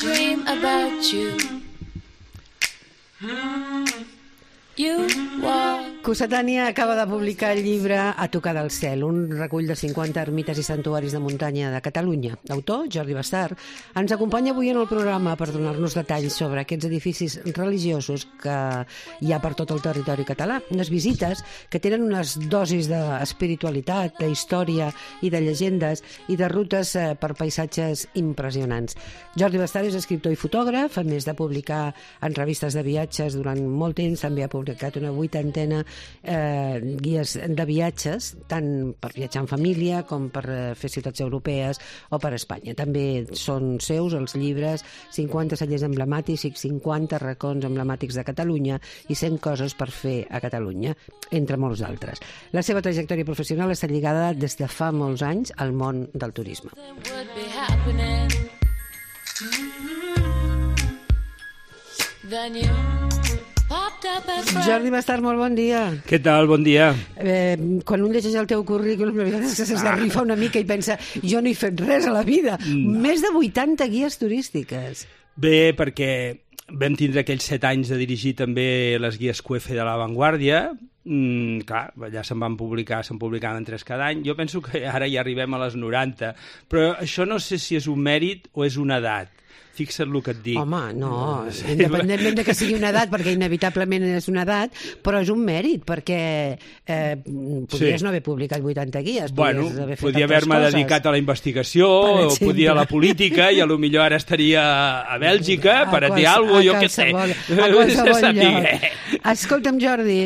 dream about you. You walk. Cossetània acaba de publicar el llibre A tocar del cel, un recull de 50 ermites i santuaris de muntanya de Catalunya. L'autor, Jordi Bastart, ens acompanya avui en el programa per donar-nos detalls sobre aquests edificis religiosos que hi ha per tot el territori català. Unes visites que tenen unes dosis d'espiritualitat, d'història i de llegendes i de rutes per paisatges impressionants. Jordi Bastart és escriptor i fotògraf, a més de publicar en revistes de viatges durant molt temps, també ha publicat una 80ena guies de viatges, tant per viatjar en família com per fer ciutats europees o per Espanya. També són seus els llibres 50 cellers emblemàtics i 50 racons emblemàtics de Catalunya i 100 coses per fer a Catalunya, entre molts d'altres. La seva trajectòria professional està lligada des de fa molts anys al món del turisme. Jordi Bastart, molt bon dia. Què tal? Bon dia. Quan un llegeix el teu currículum, la veritat és que s'esgarrifa una mica i pensa, jo no he fet res a la vida. Més de 80 guies turístiques. Bé, perquè vam tindre aquells 7 anys de dirigir també les guies QF de La Vanguardia. Clar, allà se'n publicaven 3 cada any. Jo penso que ara ja arribem a les 90, però això no sé si és un mèrit o és una edat. Fixa't el que et dic. Home, no, independentment de que sigui una edat, perquè inevitablement és una edat, però és un mèrit, perquè podries no haver publicat 80 guies. Bueno, podia haver-me dedicat a la investigació, o podia a la política, i potser ara estaria a Bèlgica per a dir alguna cosa, jo què sé. A qualsevol lloc. Escolta'm, Jordi,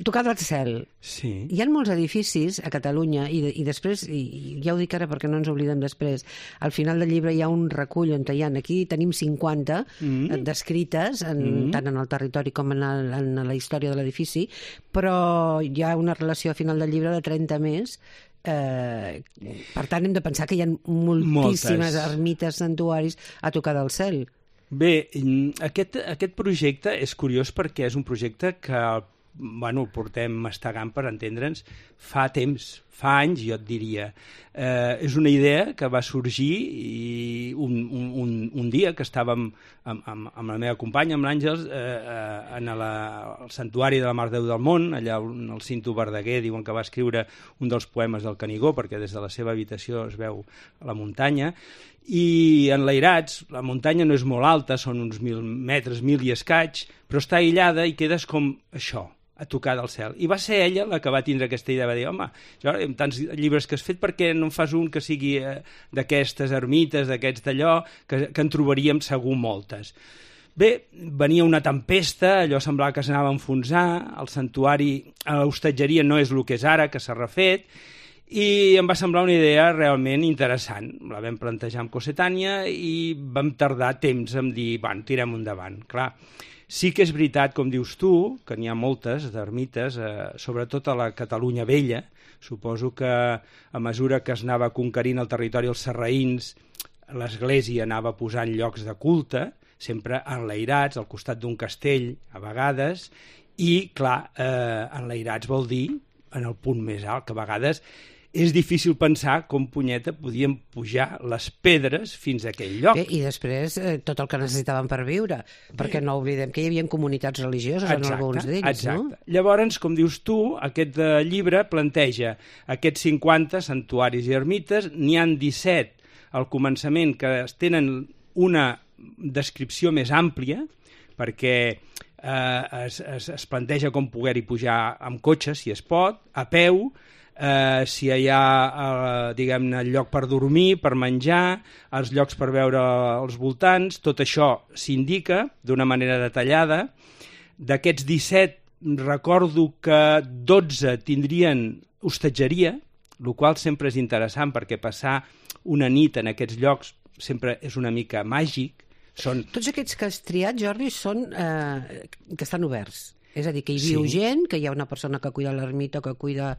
tocar del cel. Sí. Hi ha molts edificis a Catalunya i després, i ja ho dic ara perquè no ens oblidem després, al final del llibre hi ha un recull on hi ha, aquí tenim 50 descrites, tant en el territori com en la història de l'edifici, però hi ha una relació a final del llibre de 30 més. Per tant, hem de pensar que hi ha moltíssimes ermites, santuaris a tocar del cel. Bé, aquest projecte és curiós perquè és un projecte que el portem mastegant, per entendre'ns, fa temps, fa anys, jo et diria. És una idea que va sorgir un dia que estàvem amb la meva companya, amb l'Àngels, en el santuari de la Mare de Déu del Món, allà on el Cinto Verdaguer diuen que va escriure un dels poemes del Canigó, perquè des de la seva habitació es veu la muntanya, i enlairats, la muntanya no és molt alta, són uns 1.000 metres, 1.000 i escaig, però està aïllada i quedes com això, a tocar del cel. I va ser ella la que va tindre aquesta idea, va dir, home, amb tants llibres que has fet, per què no en fas un que sigui d'aquestes ermites, d'aquests d'allò, que en trobaríem segur moltes. Bé, venia una tempesta, allò semblava que s'anava a enfonsar, el santuari, l'hostatgeria no és el que és ara, que s'ha refet, i em va semblar una idea realment interessant. La vam plantejar amb Cossetània i vam tardar temps en dir, tirem endavant. Clar, sí que és veritat, com dius tu, que n'hi ha moltes d'ermites, sobretot a la Catalunya vella. Suposo que a mesura que es anava conquerint el territori els sarraïns, l'església anava posant llocs de culte, sempre enlairats, al costat d'un castell, a vegades, i, clar, enlairats vol dir en el punt més alt, que a vegades és difícil pensar com, punyeta, podíem pujar les pedres fins a aquell lloc. Bé, i després tot el que necessitaven per viure, perquè no oblidem que hi havia comunitats religioses en alguns d'ells, exacte. No? Llavors, com dius tu, aquest llibre planteja aquests 50 santuaris i ermites, n'hi han 17 al començament que tenen una descripció més àmplia, perquè es planteja com poder-hi pujar amb cotxe, si es pot, a peu, si hi ha diguem-ne el lloc per dormir, per menjar, els llocs per veure els voltants, tot això s'indica d'una manera detallada. D'aquests 17 recordo que 12 tindrien hostatgeria, el qual sempre és interessant perquè passar una nit en aquests llocs sempre és una mica màgic. Tots aquests que has triat, Jordi, són que estan oberts. És a dir, que hi viu gent, que hi ha una persona que cuida l'ermita, que cuida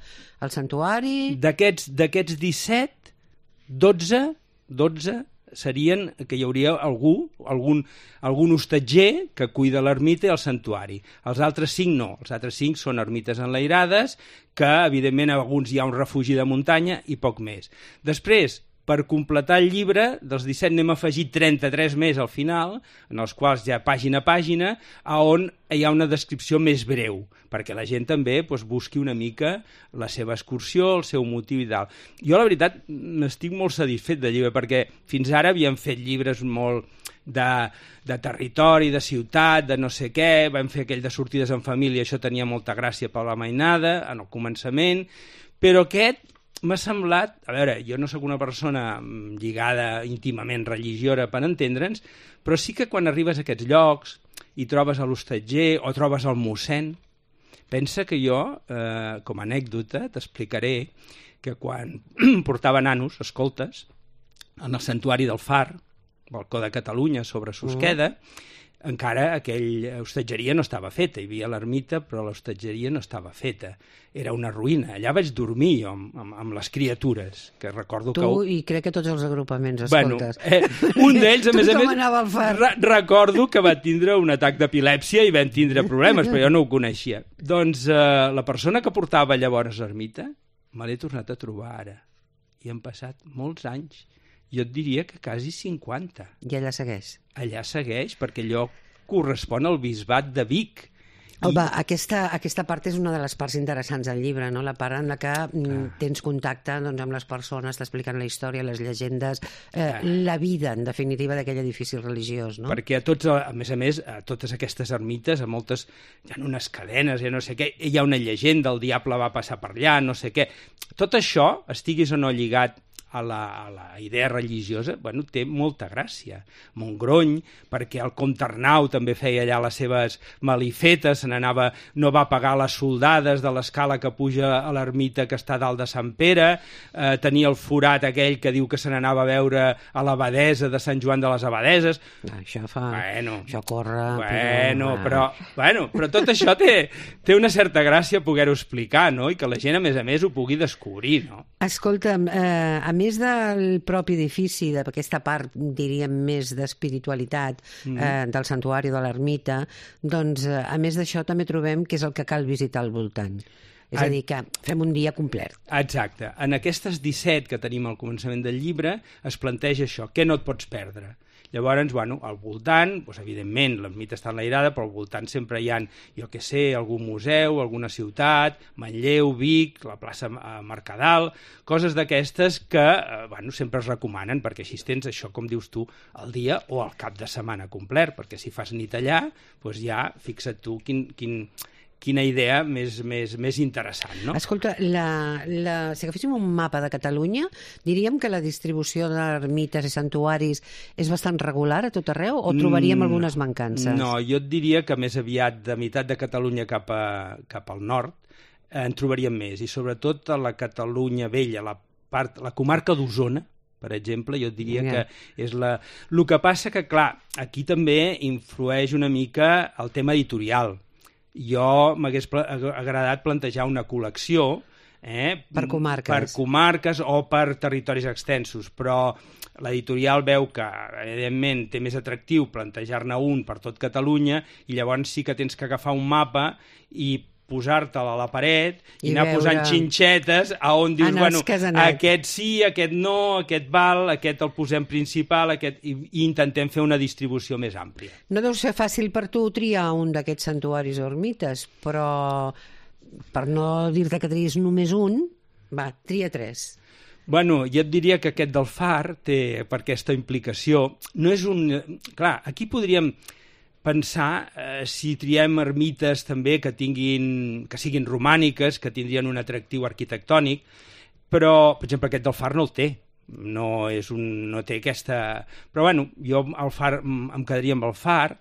el santuari... D'aquests 17, 12 serien que hi hauria algun hostatger que cuida l'ermita i el santuari. Els altres 5 no. Els altres 5 són ermites enlairades, que evidentment a alguns hi ha un refugi de muntanya i poc més. Després, per completar el llibre, dels 17 n'hem afegit 33 més al final, en els quals ja pàgina a pàgina, on hi ha una descripció més breu, perquè la gent també busqui una mica la seva excursió, el seu motiu i tal. Jo, la veritat, n'estic molt satisfet del llibre, perquè fins ara havíem fet llibres molt de territori, de ciutat, de no sé què, vam fer aquell de sortides en família, això tenia molta gràcia per la mainada, en el començament, però aquest m'ha semblat, a veure, jo no sóc una persona lligada íntimament religiosa per entendre'ns, però sí que quan arribes a aquests llocs i trobes a l'hostatger o trobes el mossèn, pensa que jo, com a anècdota, t'explicaré que quan portava nanos, escoltes, en el santuari del Far, balcó de Catalunya sobre Susqueda, encara aquella hostatgeria no estava feta, hi havia l'ermita però l'hostatgeria no estava feta, era una ruïna, allà vaig dormir jo amb les criatures, que recordo que... Tu i crec que tots els agrupaments, escoltes. Un d'ells, a més a més, anava al Far. Recordo que va tindre un atac d'epilèpsia i vam tindre problemes, però jo no ho coneixia. Doncs la persona que portava llavors l'ermita me l'he tornat a trobar ara, i han passat molts anys. Jo et diria que quasi 50. I allà segueix? Allà segueix, perquè allò correspon al bisbat de Vic. Aquesta part és una de les parts interessants del llibre, no? La part en la que tens contacte amb les persones, t'expliquen la història, les llegendes, la vida, en definitiva, d'aquell edifici religiós, no? Perquè a més, a totes aquestes ermites, a moltes, hi ha unes cadenes, no sé què, hi ha una llegenda, el diable va passar per allà, no sé què. Tot això, estiguis o no lligat a la idea religiosa, té molta gràcia. Montgrony, perquè el comte Arnau també feia allà les seves malifetes, no va pagar les soldades de l'escala que puja a l'ermita que està dalt de Sant Pere, tenia el forat aquell que diu que se n'anava a veure a l'abadesa de Sant Joan de les Abadeses. Això corre... Però tot això té una certa gràcia poder-ho explicar, no? I que la gent, a més, ho pugui descobrir, no? Escolta'm, a més del propi edifici, d'aquesta part, diríem, més d'espiritualitat del santuari de l'ermita, doncs, a més d'això, també trobem que és el que cal visitar al voltant. És a dir, que fem un dia complet. Exacte. En aquestes 17 que tenim al començament del llibre es planteja això, què no et pots perdre. Llavors, al voltant, evidentment, l'ermita està enlairada, però al voltant sempre hi ha, jo què sé, algun museu, alguna ciutat, Manlleu, Vic, la plaça Mercadal, coses d'aquestes que sempre es recomanen, perquè així tens això, com dius tu, el dia o el cap de setmana complet, perquè si fas nit allà, doncs ja fixa't tu quina idea més interessant, no? Escolta, si agaféssim un mapa de Catalunya, diríem que la distribució d'ermites i santuaris és bastant regular a tot arreu o trobaríem algunes mancances? No, jo et diria que més aviat de meitat de Catalunya cap al nord en trobaríem més, i sobretot a la Catalunya vella, la comarca d'Osona, per exemple, jo et diria que és la... El que passa que, clar, aquí també influeix una mica el tema editorial. Jo m'hagués agradat plantejar una col·lecció per comarques. Per comarques o per territoris extensos, però l'editorial veu que, evidentment, té més atractiu plantejar-ne un per tot Catalunya i llavors sí que tens que agafar un mapa i posar-te'l a la paret i anar posant xinxetes on dius, aquest sí, aquest no, aquest val, aquest el posem principal, i intentem fer una distribució més àmplia. No deu ser fàcil per tu triar un d'aquests santuaris o ermites, però per no dir-te que triïs només un, tria 3. Jo et diria que aquest del Far té, per aquesta implicació, no és un... Clar, aquí podríem pensar si triem ermites també que siguin romàniques, que tindrien un atractiu arquitectònic, però, per exemple, aquest del Far no el té. No té aquesta... Però, jo al Far em quedaria amb el Far.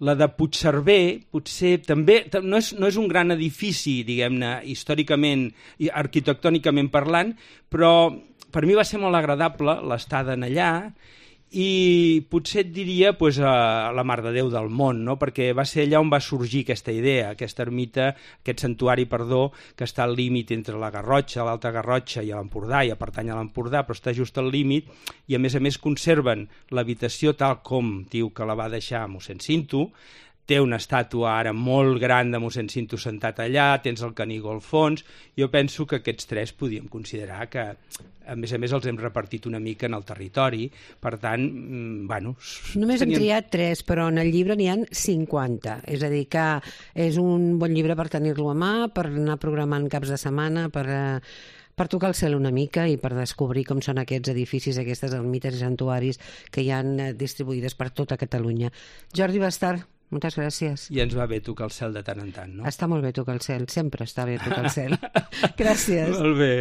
La de Puigcerver, potser també no és un gran edifici, diguem-ne, històricament i arquitectònicament parlant, però per mi va ser molt agradable l'estada allà, i potser et diria a la Mare de Déu del Mont, no? Perquè va ser allà on va sorgir aquesta idea, aquesta ermita, aquest santuari, que està al límit entre la Garrotxa, l'Alta Garrotxa i l'Empordà, i pertany a l'Empordà, però està just al límit, i a més conserven l'habitació tal com diu que la va deixar mossèn Cinto, té una estàtua ara molt gran de mossèn Cinto sentat allà, tens el Canigó al fons. Jo penso que aquests 3 podíem considerar que, a més, els hem repartit una mica en el territori, per tant, bueno... Només hem triat 3, però en el llibre n'hi ha 50, és a dir, que és un bon llibre per tenir-lo a mà, per anar programant caps de setmana, per tocar el cel una mica i per descobrir com són aquests edificis, aquestes ermites i santuaris que hi han distribuïdes per tota Catalunya. Jordi Bastar, moltes gràcies. I ens va bé tocar el cel de tant en tant, no? Està molt bé tocar el cel, sempre està bé tocar el cel. Gràcies. Molt bé.